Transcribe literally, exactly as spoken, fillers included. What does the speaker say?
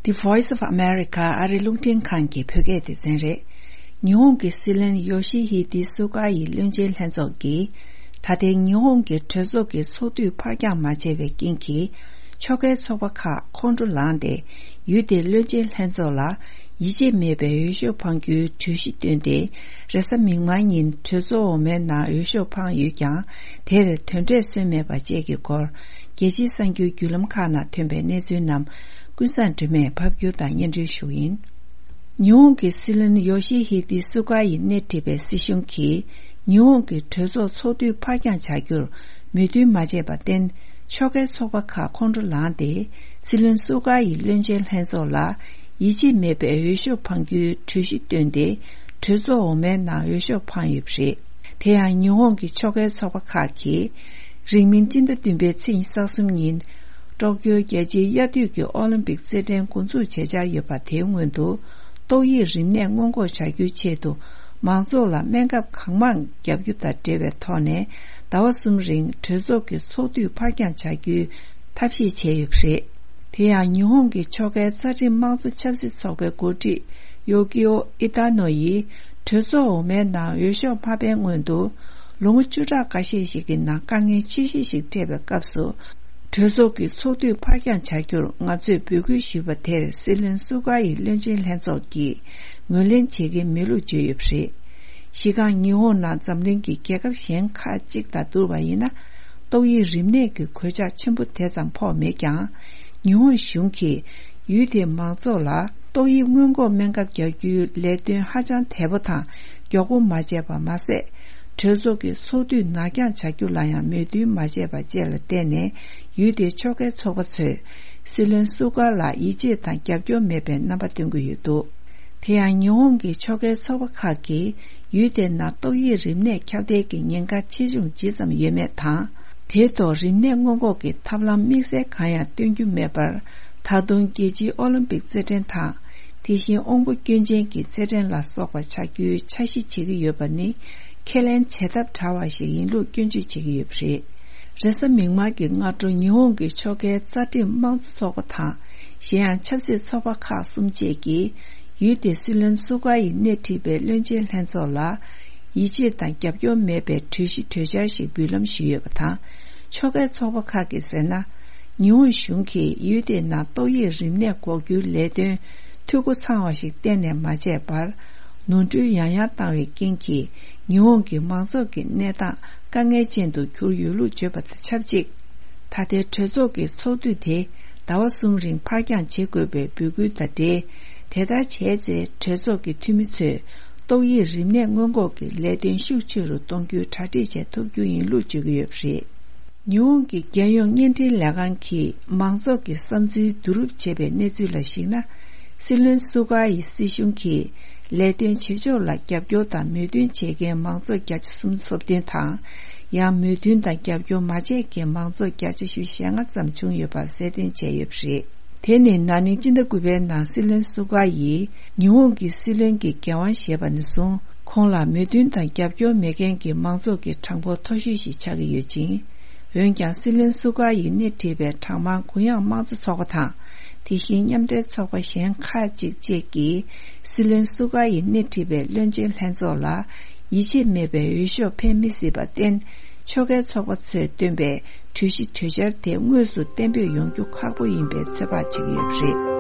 The Voice of America ཨ་རི་རླུང་འཕྲིན་ཁང་གི་བོད་སྐད་སྡེ་ཚན་རེད། ཉི་ཧོང་གི་སྲིད་བློན་ཡོ་ཤི་ཧི་དི་སུ་ག་ཡི་བློན་ཆེན་ལྷན་ཚོགས་ཀྱིས། ད་ཐེངས་ཉི་ཧོང་གི་གྲོས་ཚོགས་ཀྱི་ཚོགས་དུས་ཕར་འགྱངས་མ་བྱས་པའི་རྐྱེན་གྱིས། ཕྱོགས་འགལ་ཚོགས་པ་ཁག་ཁོང་ཁྲོ་ལངས་ཏེ། ཡུལ་དེའི་བློན་ཆེན་ལྷན་ཚོགས་ལ་ཡིད་ཆེས་མེད་པའི་འོས་ཤོག་འཕང་རྒྱུའི་གྲོས་གཞི་བཏོན་ཏེ། རེས་གཟའ་མིག་དམར་ཉིན་གྲོས་ཚོགས་འོག་མའི་ནང་འོས་ཤོག་འཕངས་ཡོད་ཀྱང་། དེར་དོན་འབྲས་སོན་མེད་པ་བཅས་ཀྱི་སྐོར། རྒྱལ་སྤྱིའི་གསར་འགྱུར་བརྒྱུད་ལམ་ཁག་ནང་ཐོན་པའི་གནས་ཚུལ་རྣམས། ཀུན་བཟང་སྒྲོལ་མས་ཕབ་སྒྱུར་དང་སྙན་སྒྲོན་ཞུ་གི་ཡིན། ཉི་ཧོང་གི་སྲིད་བློན་ཡོ་ཤི་ཧི་དི་སུ་ག་ཡིས་སྣེ་ཁྲིད་པའི་སྲིད་གཞུང་གིས། ཉི་ཧོང་གི་གྲོས་ཚོགས་ཚོགས་དུས་ཕར་འགྱངས་བྱ་རྒྱུར་མོས་མཐུན་མ་བྱས་པར་བརྟེན། ཕྱོགས་འགལ་ཚོགས་པ་ཁག་ཁོང་ཁྲོ་ལངས་ཏེ། སྲིད་བློན་སུ་ག་ཡི་བློན་ཆེན་ལྷན་ཚོགས་ལ་ཡིད་ཆེས་མེད་པའི་འོས་ཤོག་འཕང་རྒྱུའི་གྲོས་གཞི་བཏོན་ཏེ། གྲོས་ཚོགས་འོག་མའི་ནང་འོས་ཤོག་འཕངས་ཡོད་པ་རེད། དེ་ཡང་ཉི་ཧོང་གི་ཕྱོགས་འགལ་ཚོགས་པ་ཁག་གིས། རིང་མིན་སྤྱི་ཟླ་བདུན་པའི་ཚེས་ཉི་ཤུ་རྩ་གསུམ་ཉིན། ཀྲོག་ཀྱོའི་རྒྱལ་སྤྱིའི་དབྱར་དུས་ཀྱི་ཨོ་ལིམ་པིག་རྩེད་འགྲན་འགོ་འཛུགས་བྱེད་འཆར་ཡོད་པ། དེའི་སྔོན་དུ། ཏོག་དབྱིབས་རིམས་ནད་སྔོན་འགོག་བྱ་རྒྱུའི་ཆེད་དུ། མང་ཚོགས་ལ་སྨན་ཁབ་གང་མང་བརྒྱབ་རྒྱུ་དང་འབྲེལ་བའི་ཐོག་ནས། ཟླ་བ་གསུམ་རིང་གྲོས་ཚོགས་ཀྱི་ཚོགས་དུས་ཕར་འགྱངས་བྱ་རྒྱུའི་ཐབས་ཤེས་བྱས་ཡོད་པ་རེད། དེ་ཡང་ཉི་ཧོང་གི་ཕྱོགས་འགལ་རྩ་ཁྲིམས་དམངས་གཙོ་ཆབ་སྲིད་ཚོགས་པའི་འགོ་ཁྲིད་ཡོ་ཀི་ཨོ་ཨི་ཏཱ་ནོ་ཡིས། གྲོས་ཚོགས་འོག་མའི་ནང་འོས་ཤོག་མ་འཕེན་སྔོན་དུ། ལོ་ངོ་བཅུ་ཕྲག་འགའ་ཤས་ཤིག་གི་ནང་དཀའ་ངལ་ཆེ་ཤོས་ཤིག་འཕྲད་པའི་སྐབས་སུ། གྲོས་ཚོགས་ཀྱི་ཚོགས་དུས་ཕར་འགྱངས་བྱ་རྒྱུར་ང་ཚོས་འབོད་སྐུལ་ཞུས་པ་དེར། སྲིད་བློན་སུ་ག་ཡི་བློན་ཆེན་ལྷན་ཚོགས་ཀྱིས་ངོས་ལེན་བྱེད་ཀྱིན་མེད་ལུགས་བརྗོད་ཡོད་པ་རེད། གཞི་རྐང་ཉི་ཧོང་ནང་འཛམ་གླིང་གི་རྒྱལ་ཁབ་གཞན་ཁག་ཅིག་དང་བསྡུར་བ་ཡིན་ན། ཏོག་དབྱིབས་རིམས་ནད་ཀྱི་གོད་ཆག་ཆེན་པོ་དེ་ཙམ་ཕོག་མེད་ཀྱང་། ཉི་ཧོང་གཞུང་གིས་ཡུལ་དེའི་མང་ཚོགས་ལ་ཏོག་དབྱིབས་སྔོན་འགོག་སྨན་ཁབ་རྒྱག་རྒྱུའི་ལས་དོན་ཧ་ཅང་དལ་པོ་དང་མགྱོགས་པོ་མ་བྱས་པ་མ་ཟད། གྲོས་ཚོགས་ཀྱི་ཚོགས་དུས་ནར་འགྱངས་བྱ་རྒྱུ་ལ་ཡང་མོས་མཐུན་མ་བྱས་པ་བཅས་ལ་བརྟེན་ནས། ཡུལ་དེའི་ཕྱོགས་འགལ་ཚོགས་པ་ཚོས་སྲིད་བློན་སུ་ག་ལ་ཡིད་ཆེས་དང་རྒྱབ་སྐྱོར་མེད་པའི་རྣམ་པ་སྟོན་གྱི་ཡོད་འདུག་དེ་ཡང་ཉི་ཧོང་གི་ཕྱོགས་འགལ་ཚོགས་པ་ཁག་གིས་ཡུལ་དེའི་ནང་ཏོག་དབྱིབས་རིམས་ནད་ཁྱབ་གདལ་གྱི་ཉེན་ཁ་ཆེ་ཆུང་ཇི་ཙམ་ཡོད་མེད་དང་། དེའི་ཐོག་རིམས་ནད་སྔོན་འགོག་གི་ཐབས་ལམ་དམིགས་བསལ་གང་ཡང་སྟོན་རྒྱུ་མེད་པར། ད་དུང་རྒྱལ་སྤྱིའི་ཨོ་ལིམ་པིག་རྩེད་འགྲན་དང་། དེ་བཞིན་དབང་པོ་སྐྱོན་ཅན་གྱི་རྩེད་འགྲན་ལ་སོགས་པ་ཆགས་རྒྱུའི་འཆར་གཞི་བྱེད་ཀྱི་ཡོད་པ་ནི། ཁས་ལེན་བྱེད་ཐབས་བྲལ་བ་ཞིག་ཡིན་ལུགས་སྐྱོན་བརྗོད་བྱེད་ཀྱི་ཡོད་པ་རེད། རེས་གཟའ་མིག་དམར་གྱི་སྔ་དྲོ་ཉི་ཧོང་གི་ཕྱོགས་འགལ་རྩ་ཁྲིམས་དམངས་གཙོ་ཚོགས་པ་དང་། གཞན་ཡང་ཆབ་སྲིད་ཚོགས་པ་ཁག་གསུམ་བཅས་ཀྱིས། ཡུལ་དེའི་སྲིད་བློན་སུ་ག་ཡིས་སྣེ་ཁྲིད་པའི་བློན་ཆེན་ལྷན་ཚོགས་ལ། ཡིད་ཆེས་དང་རྒྱབ་སྐྱོར་མེད་པའི་གྲོས་གཞི་གྲོས་འཆར་ཞིག་འབུལ་ལམ་ཞུས་ཡོད་པ་དང་། ཕྱོགས་འགལ་ཚོགས་པ་ཁག་གིས་ཟེར་ན། ཉི་ཧོང་གཞུང་གིས་ཡུལ་དེའི་ནང་ཏོག་དབྱིབས་རིམས་ནད་འགོག་རྒྱུའི་ལས་དོན་འཐུས་སྒོ་ཚང་བ་ཞིག་གཏན་ནས་མ་བྱས་པར། ནོར་འཁྲུལ་ཡང་ཡང་བཏང་བའི་རྐྱེན་གྱིས། ཉི་ཧོང་གི་མང་ཚོགས་ཀྱི་གནས་སྟངས་དཀའ་ངལ་ཅན་དུ་གྱུར་ཡོད་ལུགས་བརྗོད་པ་དང་ཆབས་ཅིག་ད་ལྟའི་གྲོས་ཚོགས་ཀྱི་ཚོགས་དུས་དེ་ཟླ་བ་གསུམ་རིང་ཕར་འགྱངས་བྱེད་དགོས་པའི་འབོད་སྐུལ་དང་འབྲེལ། དེ་ལྟར་བྱས་ཚེ། གྲོས་ཚོགས་ཀྱི་འཐུས་མི་ཚོས་ཏོག་དབྱིབས་རིམས་ནད་སྔོན་འགོག་གི་ལས་དོན་ཤུགས་ཆེ་རུ་གཏོང་རྒྱུའི་གྲ་སྒྲིག་བྱེད་ཐུབ་རྒྱུ་ཡིན་ལུགས་བརྗོད་ཀྱི་ཡོད་པ་རེད། ཉི་ཧོང་གི་རྒྱལ་ཡོངས་བརྙན་འཕྲིན་ལས་ཁང་གིས་མང་ཚོགས་ཀྱི་བསམ་ཚུལ་བསྡུ་རུབ་བྱས་པའི་གནས་ཚུལ་ལ་གཞིགས་ན། སྲིད་བློན་སུ་ག་ཡི་སྲིད་གཞུང་གིས་ལས་དོན་བྱེད་ཕྱོགས་ལ་རྒྱབ་སྐྱོར་དང་མོས་མཐུན་བྱེད་མཁན་མང་ཚོགས་བརྒྱ་ཆ་སུམ་ཅུ་སོ་བདུན་དང་། ཡང་མོས་མཐུན་དང་རྒྱབ་སྐྱོར་མ་བྱས་མཁན་མང་ཚོགས་བརྒྱ་ཆ་བཞི་བཅུ་ཞེ་ལྔ་ཙམ་བྱུང་ཡོད་པར་གསལ་སྟོན་བྱས་ཡོད་པ་རེད། དེ་ནི་ན་ནིང་སྤྱི་ཟླ་དགུ་པའི་ནང་སྲིད་བློན་སུ་ག་ཡིས་ཉི་ཧོང་གི་སྲིད་བློན་གྱི་འགན་དབང་བཞེས་པ་ནས་བཟུང་། ཁོང་ལ་མོས་མཐུན་དང་རྒྱབ་སྐྱོར་མེད་མཁན་གྱི་མང་ཚོགས་ཀྱི་གྲངས་འབོར་མཐོ་ཤོས་ཤིག་ཆགས་ཀྱི་ཡོད་ཅིང་། འོན་ཀྱང་། སྲིད་བློན་སུ་ག་ཡིས་སྣེ་ཁྲིད་པའི་གྲངས་མང་གུ་ཡངས་དམངས་གཙོ་ཚོགས་པ་དང་། དེ་བཞིན་མཉམ་འབྲེལ་ཚོགས་པ་གཞན་ཁག་ཅིག་བཅས་ཀྱིས། སྲིད་བློན་སུ་ག་ཡིས་སྣེ་ཁྲིད་པའི་བློན་ཆེན་ལྷན་ཚོགས་ལ། ཡིད་ཆེས་མེད་པའི་འོས་ཤོག་འཕེན་མི་སྲིད་པར་བརྟེན། ཕྱོགས་འགལ་ཚོགས་པ་ཚོས་བཏོན་པའི་གྲོས་གཞི་གྲོས་འཆར་དེ་དངོས་སུ་གཏན་འབེབས་ཡོང་རྒྱུ་ཁག་པོ་ཡིན་པའི་ཚོད་དཔག་བྱེད་ཀྱི་ཡོད་པ་རེད།